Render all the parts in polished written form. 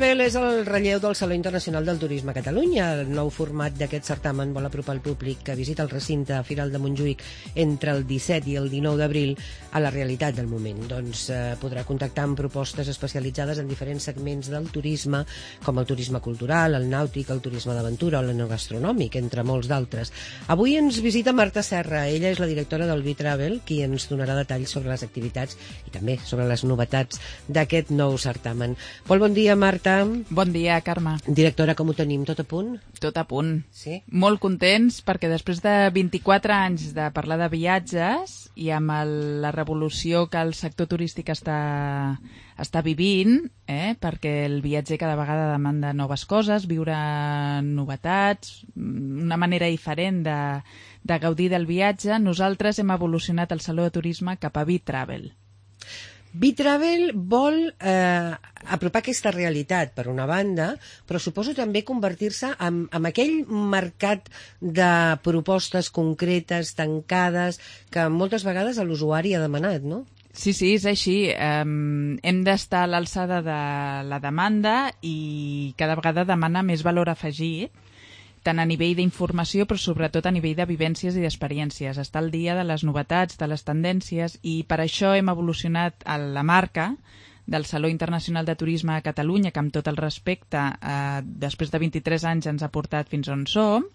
Travel és el relleu del Saló Internacional del Turisme a Catalunya. El nou format d'aquest certamen vol apropar el públic que visita el recinte Firal de Montjuïc entre el 17 i el 19 d'abril a la realitat del moment. Doncs podrà contactar amb propostes especialitzades en diferents segments del turisme, com el turisme cultural, el nàutic, el turisme d'aventura o l'enogastronòmic, entre molts d'altres. Avui ens visita Marta Serra. Ella és la directora del B-Travel, qui ens donarà detalls sobre les activitats i també sobre les novetats d'aquest nou certamen. Molt bon dia, Marta. Bon dia, Carme. Directora, com ho tenim? Tot a punt? Tot a punt. Sí? Molt contents perquè després de 24 anys de parlar de viatges i amb la revolució que el sector turístic està vivint, perquè el viatger cada vegada demanda noves coses, viure novetats, una manera diferent de gaudir del viatge, nosaltres hem evolucionat el Saló de Turisme cap a B-Travel. B-Travel vol apropar aquesta realitat, per una banda, però suposo també convertir-se en aquell mercat de propostes concretes, tancades, que moltes vegades l'usuari ha demanat, no? Sí, és així. Hem d'estar a l'alçada de la demanda i cada vegada demana més valor afegit, tant a nivell d'informació, però sobretot a nivell de vivències i d'experiències. Està al dia de les novetats, de les tendències, i per això hem evolucionat a la marca del Saló Internacional de Turisme a Catalunya, que amb tot el respecte, després de 23 anys ens ha portat fins on som,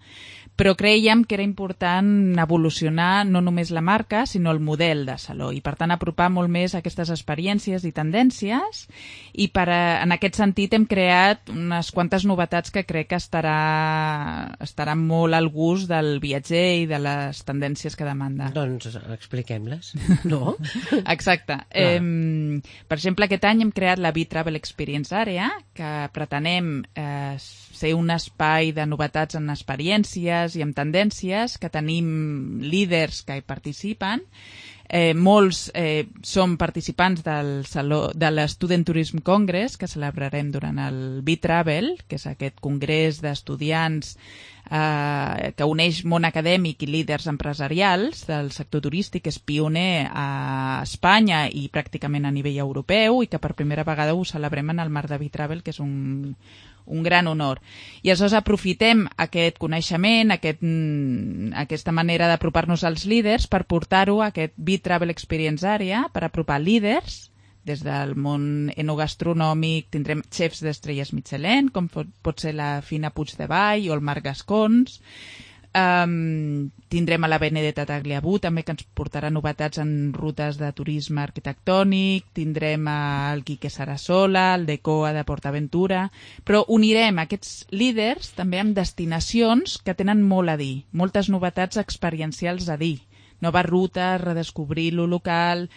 però creiem que era important evolucionar no només la marca, sinó el model de saló, i per tant apropar molt més aquestes experiències i tendències, i en aquest sentit hem creat unes quantes novetats que crec que estaran molt al gust del viatger i de les tendències que demanda. Doncs expliquem-les, no? Exacte. Per exemple, aquest any hem creat la B-Travel Experience Area, que pretenem ser un espai de novetats en experiències i en tendències, que tenim líders que hi participen. Molts som participants de l'Student Tourism Congress, que celebrarem durant el B-Travel, que és aquest congrés d'estudiants que uneix món acadèmic i líders empresarials del sector turístic, que és pioner a Espanya i pràcticament a nivell europeu, i que per primera vegada ho celebrem en el marc de B-Travel, que és un gran honor. I aleshores aprofitem aquest coneixement, aquesta manera d'apropar-nos als líders per portar-ho a aquest B-Travel Experience Area, per apropar líders des del món enogastronòmic. Tindrem xefs d'estrelles Michelin, com pot ser la Fina Puigdevall o el Marc Gascons. Tindrem a la Benedetta Tagliabue, també, que ens portarà novetats en rutes de turisme arquitectònic. Tindrem el Quique Sarasola, el Decoa de PortAventura, però unirem aquests líders també amb destinacions que tenen molt a dir, moltes novetats experiencials a dir, noves rutes, redescobrir lo local,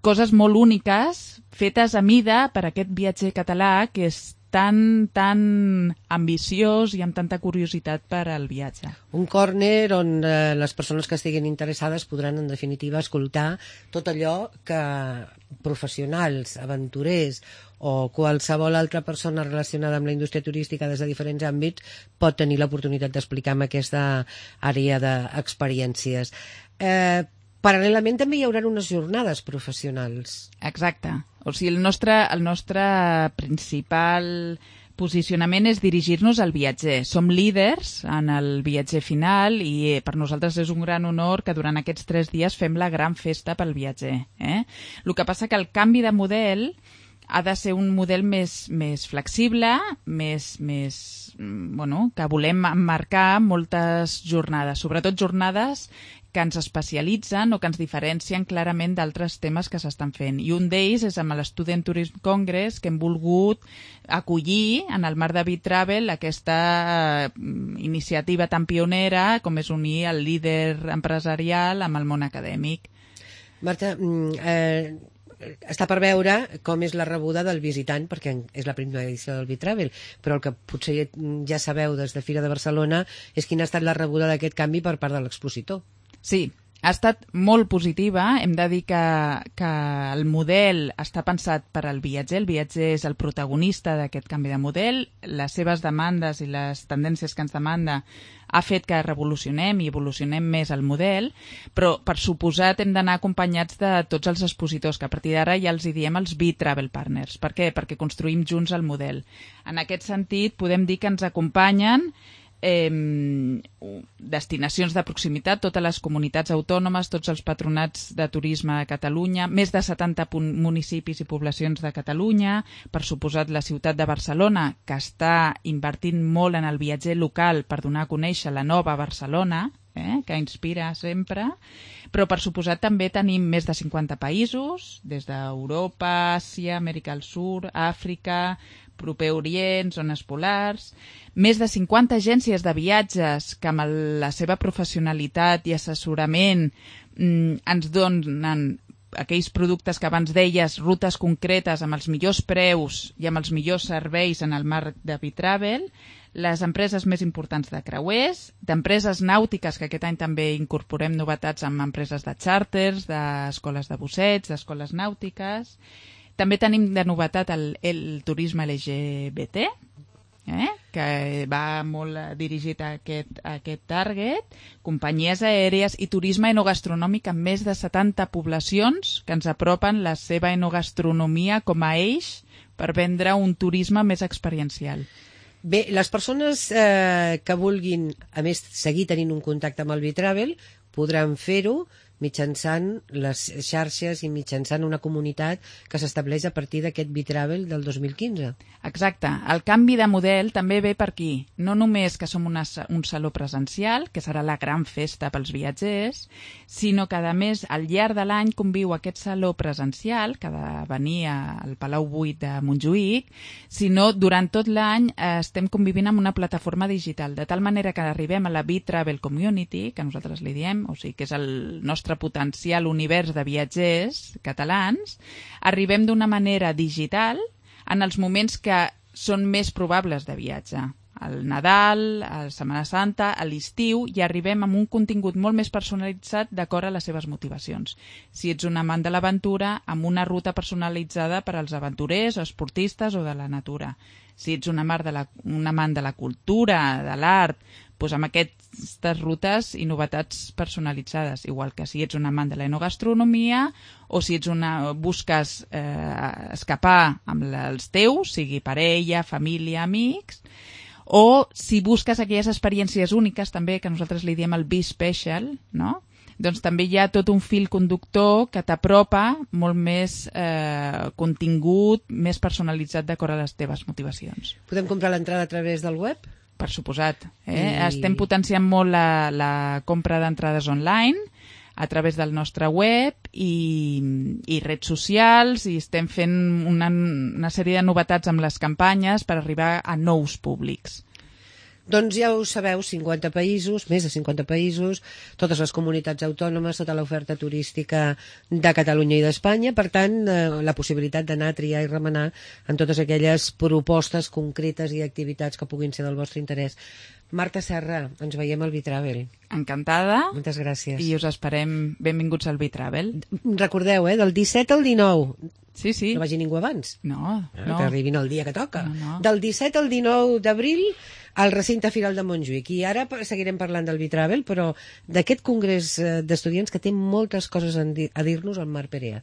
coses molt úniques fetes a mida per aquest viatger català que és tan ambiciós i amb tanta curiositat per al viatge. Un córner on les persones que estiguin interessades podran, en definitiva, escoltar tot allò que professionals, aventurers o qualsevol altra persona relacionada amb la indústria turística des de diferents àmbits pot tenir l'oportunitat d'explicar en aquesta àrea d'experiències. Paral·lelament també hi haurà unes jornades professionals. Exacte. O sigui, el nostre principal posicionament és dirigir-nos al viatger. Som líders en el viatger final i per nosaltres és un gran honor que durant aquests 3 dies fem la gran festa pel viatger. El que passa que el canvi de model ha de ser un model més flexible, que volem emmarcar moltes jornades, sobretot jornades que ens especialitzen o que ens diferencien clarament d'altres temes que s'estan fent. I un d'ells és amb l'Student Tourism Congress, que hem volgut acollir en el marc de B-Travel aquesta iniciativa tan pionera com és unir el líder empresarial amb el món acadèmic. Marta, està per veure com és la rebuda del visitant, perquè és la primera edició del B-Travel, però el que potser ja sabeu des de Fira de Barcelona és quina ha estat la rebuda d'aquest canvi per part de l'expositor. Sí, ha estat molt positiva. Hem de dir que el model està pensat per al viatger. El viatger és el protagonista d'aquest canvi de model. Les seves demandes i les tendències que ens demanda ha fet que revolucionem i evolucionem més el model, però per suposat hem d'anar acompanyats de tots els expositors, que a partir d'ara ja els hi diem els B-Travel Partners. Per què? Perquè construïm junts el model. En aquest sentit, podem dir que ens acompanyen destinacions de proximitat, totes les comunitats autònomes, tots els patronats de turisme de Catalunya, més de 70 municipis i poblacions de Catalunya, per suposat la ciutat de Barcelona, que està invertint molt en el viatger local per donar a conèixer la nova Barcelona, que inspira sempre, però per suposat també tenim més de 50 països, des d'Europa, Àsia, Amèrica del Sud, Àfrica, Proper Orient, zones polars, més de 50 agències de viatges que amb la seva professionalitat i assessorament ens donen aquells productes que abans deies, rutes concretes amb els millors preus i amb els millors serveis en el marc de B-Travel, les empreses més importants de creuers, d'empreses nàutiques, que aquest any també incorporem novetats amb empreses de xàrters, d'escoles de busseig, d'escoles nàutiques. També tenim de novetat el turisme LGBT, que va molt dirigit a aquest target, companyies aèries i turisme enogastronòmic en més de 70 poblacions que ens apropen la seva enogastronomia com a eix per vendre un turisme més experiencial. Bé, les persones que vulguin, a més, seguir tenint un contacte amb el B-Travel podran fer-ho mitjançant les xarxes i mitjançant una comunitat que s'estableix a partir d'aquest B-Travel del 2015. Exacte. El canvi de model també ve per aquí. No només que som un saló presencial, que serà la gran festa pels viatgers, sinó que, a més, al llarg de l'any conviu aquest saló presencial, que ha de venir al Palau Buit de Montjuïc, sinó durant tot l'any estem convivint amb una plataforma digital, de tal manera que arribem a la B-Travel Community, que nosaltres li diem, o sigui que és el nostre potencial univers de viatgers catalans, arribem d'una manera digital en els moments que són més probables de viatge. Al Nadal, a la Setmana Santa, a l'estiu, i arribem amb un contingut molt més personalitzat d'acord a les seves motivacions. Si ets un amant de l'aventura, amb una ruta personalitzada per als aventurers o esportistes o de la natura. Si ets un amant de la cultura, de l'art, doncs amb aquestes rutes i novetats personalitzades, igual que si ets un amant de l'enogastronomia o si busques escapar amb els teus, sigui parella, família, amics, o si busques aquelles experiències úniques també, que nosaltres li diem el B-Special, no? Doncs també hi ha tot un fil conductor que t'apropa molt més contingut, més personalitzat d'acord a les teves motivacions. Podem comprar l'entrada a través del web? Per suposat. Estem potenciant molt la compra d'entrades online a través del nostre web i redes socials, i estem fent una sèrie de novetats amb les campanyes per arribar a nous públics. Doncs ja ho sabeu, 50 països, més de 50 països, totes les comunitats autònomes, tota l'oferta turística de Catalunya i d'Espanya, per tant, la possibilitat d'anar a triar i remenar en totes aquelles propostes concretes i activitats que puguin ser del vostre interès. Marta Serra, ens veiem al B-Travel. Encantada. Moltes gràcies. I us esperem benvinguts al B-Travel. Recordeu, del 17 al 19. Sí. No vagi ningú abans. No. Que arribin el dia que toca. No. Del 17 al 19 d'abril al recinte Firal de Montjuïc. I ara seguirem parlant del B-Travel, però d'aquest congrés d'estudiants que té moltes coses a dir-nos al Marc Perea.